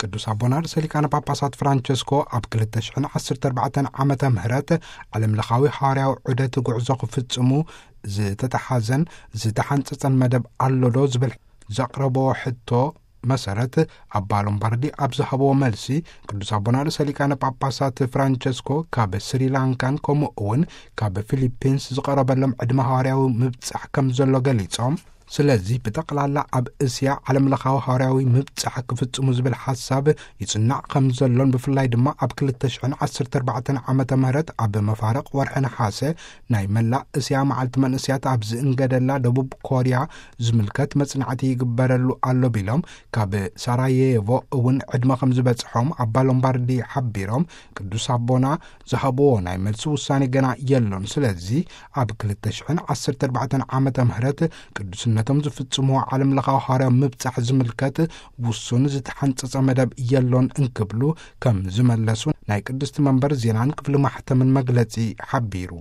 ቅዱስ ኣቦና ርእሰ ሊቃነ ጳጳሳት ፍራንቸስኮ ኣብ ክልተ ሽሕን ዓሰርተ ኣርባዕተን ዓመተ ምህረት ዓለም ለኻዊ ሃዋርያዊ ዑደት ጉዕዞ ክፍጽሙ ዝተተሓዘን ዝተሓንጸጸን መደብ ኣሎዶ ዝብል ዘቕረቦ ሕቶ መሰረት፣ ኣባ ሎምባርዲ ኣብ ዝሃብዎ መልሲ፣ ቅዱስ ኣቦና ርእሰ ሊቃነ ጳጳሳት ፍራንቸስኮ ካብ ስሪላንካን ከምኡ እውን ካብ ፊሊፒንስ ዝቐረበሎም ዕድመ ሃዋርያዊ ምብጻሕ ከም ዘሎ ገሊጾም፣ ስለዚ ብጠቕላላ ኣብ እስያ ዓለም ለኻዊ ሃዋርያዊ ምብጻሕ ክፍጽሙ ዝብል ሓሳብ ይጽናዕ ከም ዘሎን፣ ብፍላይ ድማ ኣብ ክልተ ሽሕን ዓሰርተ ኣርባዕተን ዓመተ ምህረት ኣብ መፋርቕ ወርሒ ነሓሰ ናይ መላእ እስያ መዓልቲ መንእስያት ኣብ ዝእንገደላ ደቡብ ኮርያ ዝምልከት መጽናዕቲ ይግበረሉ ኣሎ ቢሎም፣ ካብ ሳራየቮ እውን ዕድመ ከም ዝበጽሖም ኣባ ሎምባርዲ ሓቢሮም፣ ቅዱስ ኣቦና ዝሃብዎ ናይ መልሲ ውሳኔ ገና የሎን። ስለዚ ኣብ ክልተ ሽሕን ዓሰርተ ኣርባዕተን ዓመተ ምህረት ቅዱስነቶም ዝፍጽምዎ ዓለም ለኻዊ ሃዋርያዊ ምብጻሕ ዝምልከት ውሱን ዝተሓንጸጸ መደብ የሎን እንክብሉ ከም ዝመለሱ ናይ ቅድስቲ መንበር ዜናን ክፍሊ ማሕተምን መግለጺ ሓቢሩ።